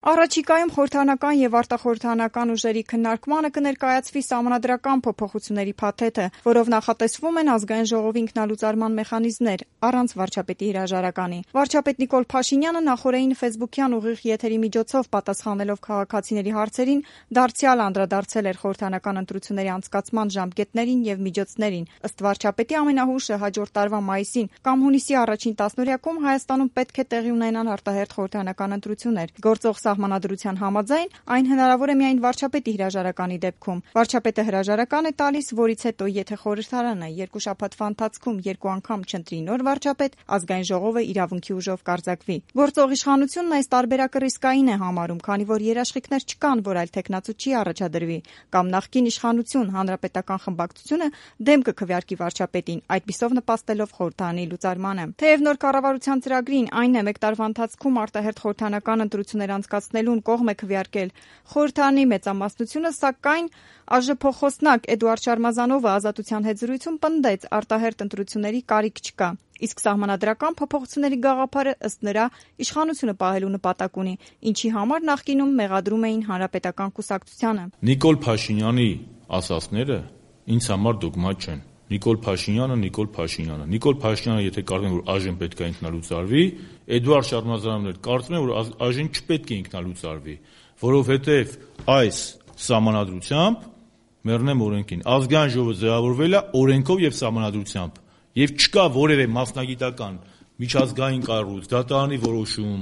Առաջիկայում խորհրդարանական և արտախորհրդարանական ուժերի քննարկմանը կներկայացվի սահմանադրական փոփոխությունների փաթեթը, որով նախատեսվում են Ազգային ժողովի ինքնալուծարման մեխանիզմներ, առանց վարչապետի հրաժարականի։ Վարչապետ Նիկոլ Փաշինյանը նախօրեին ֆեյսբուքյան ուղիղ եթերի միջոցով պատասխանելով քաղաքացիների հարցերին, դարձյալ անդրադարձել էր խորհրդարանական ընտրությունների անցկացման ժամկետներին և միջոցներին։ Ըստ վարչապետի, ամենահուշը հաջորդ տարվա մայիսին կամ հունիսի առաջին տասնօրյակում Հայաստանում պետք է տեղի ունենան արտահերթ խորհրդարանական ընտրություններ։ Գործող սահմանադրության համաձայն այն հնարավոր է միայն վարչապետի հրաժարականի դեպքում։ Վարչապետը հրաժարական է տալիս, որից հետո, եթե խորհրդարանը երկու շաբաթվա ընթացքում երկու անգամ չընտրի նոր վարչապետ, Ազգային ժողովը իրավունքի ուժով կարձակվի։ Գործող իշխանությունն այս տարբերակը ռիսկային է համարում, քանի որ երաշխիքներ չկան, որ այլ թեկնածու չի առաջադրվի, կամ նախկին իշխանություն հանրապետական խմբակցությունը դեմ կքվեարկի վարչապետին, այդպիսով նպաստելով խորհրդարանի լուծարմանը։ Թեև նոր կառավարության ծրագրին, այն է մեկ տարվա ընթացքում արտահերթ խորհրդարանական ընտրություններ անցկացնելուն կողմ է քվեարկել խորհրդարանի մեծամասնությունը, սակայն ԱԺ Էդուարդ Շարմազանովը Ազատության հետ զրույցում պնդեց, արտահերթ ընտրությունների կարիք չկա։ Իսկ սահմանադրական փոփոխությունների գաղափարը, ըստ նրա, իշխանությունը պահելու նպատակ ունի, ինչի համար նախկինում մեղադրում էին հանրապետական կուսակցությանը։ Նիկոլ Փաշինյանի ասածները ինձ համար դոգմա չեն։ Նիկոլ Փաշինյանը, եթե կարծում է, որ ԱԺ-ն պետք է ինքնալուծարվի, Էդուարդ Շարմազանովն էլ կարծում է, որ ԱԺ-ն չպետք է ինքնալուծարվի, որովհետև այս սահմանադրությամբ, մեռնեմ օրենքին, Ազգային ժողովը ձևավորվել է օրենքով և սահմանադրությամբ, և չկա որևէ մասնագիտական միջազգային կառույց, դատարանի որոշում,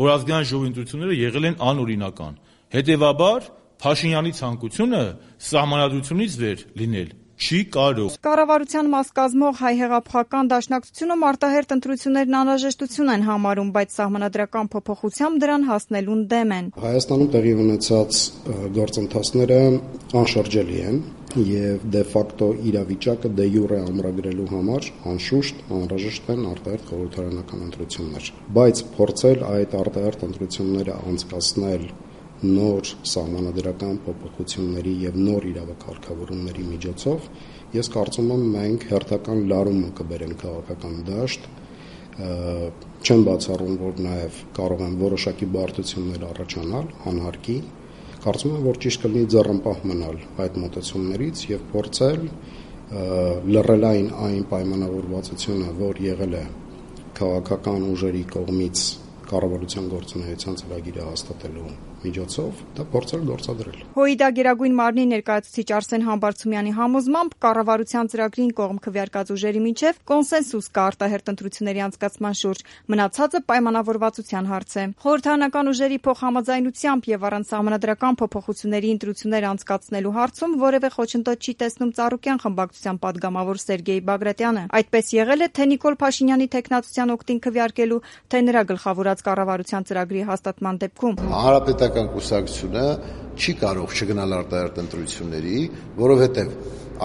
որ Ազգային ժողովի ընտրությունները եղել են անօրինական։ Հետևաբար, Փաշինյանի ցանկությունը սահմանադրությունից վեր լինել չի կարող։ Կառավարության մաս կազմող Հայ հեղափոխական դաշնակցությունում արտահերթ ընտրություններն անհրաժեշտություն են համարում, բայց սահմանադրական փոփոխությամբ դրան հասնելուն դեմ են։ Հայաստանում տեղի ունեցած գործընթացները անշրջելի են և դե ֆակտո իրավիճակը դե յուրե ամրագրելու համար անշուշտ անհրաժեշտ են արտահերթ խորհրդարանական ընտրություններ, բայց փորձել այդ արտահերթ ընտրությունները անցկացնել նոր սահմանադրական փոփոխությունների և նոր իրավակարգավորումների միջոցով, ես կարծում եմ մենք հերթական լարումը կբերենք քաղաքական դաշտ, չեմ բացառում, որ նաև կարող են որոշակի բարդություններ առաջանալ, անհարկի, կարծում եմ, որ ճիշտ կլինի ձեռնպահ մնալ այդ մոտեցումներից և փորձել լռելային այն պայմանավորվածությունը, որ եղել է քաղաքական ուժերի կողմից կառավարության գործունեության ծրագիրը հաստատելու միջոցով, դա փորձել գործադրել։ ՀՅԴ Գերագույն մարմնի ներկայացուցիչ Արսեն Համբարձումյանի համոզմամբ, կառավարության ծրագրին կողմ քվեարկած ուժերի միջև կոնսենսուս կա արտահերթ ընտրությունների անցկացման շուրջ, մնացածը պայմանավորվածության հարց է։ Խորհրդարանական ուժերի փոխհամաձայնությամբ և առանց սահմանադրական փոփոխությունների ընտրություններ անցկացնելու հարցում որևէ խոչընդոտ չի տեսնում Ծառուկյան խմբակցության պատգամավոր Սերգեյ Բագրատյանը։ Այդպես եղել է թե Նիկոլ Փաշինյանի թեկնածության օգտին քվեարկելու, թե նրա գլխավորած կառավարության ծրագրի հաստատման դեպքում։ Հանրապետական կուսակցությունը չի կարող չգնալ արտահերթ ընտրությունների, որովհետև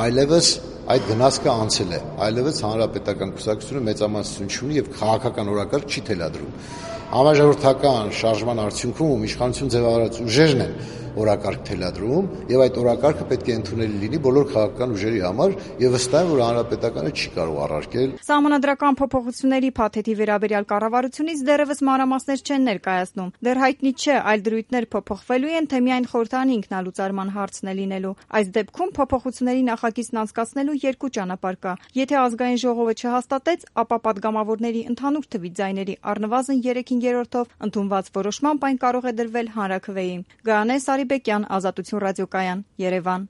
այլևս այդ գնացքը անցել է, այլևս հանրապետական կուսակցությունը մեծամասնություն չունի և քաղաքական օրակարգ չի թելադրում։ Համաժողովրդական շարժման արդյունքում իշխանություն ձևավորած ուժերն են օրակարգ թելադրում և այդ օրակարգը պետք է ընդունելի լինի բոլոր քաղաքական ուժերի համար և վստահ եմ, որ հանրապետականը չի կարող առարկել։ Սահմանադրական փոփոխությունների փաթեթի վերաբերյալ կառավարությունից դեռևս մանրամասներ չեն ներկայացնում։ Դեռ հայտնի չէ, այլ դրույթներ փոփոխվելու են, թե միայն խորհրդարանի ինքնալուծարման հարցն է լինելու։ Այս դեպքում փոփոխությունների նախագիծն անցկացնելու երկու ճանապարհ կա։ Եթե Ազգային ժողովը չհաստատեց, ապա պատգամավորների ընդհանուր թվի ձայների առնվազն 3/5-ով ընդունված որոշմամբ այն կարող է դրվել հանրաքվեի։ Գայանե Սարիբեկյան, Ազատություն ռադիոկայան, Երևան։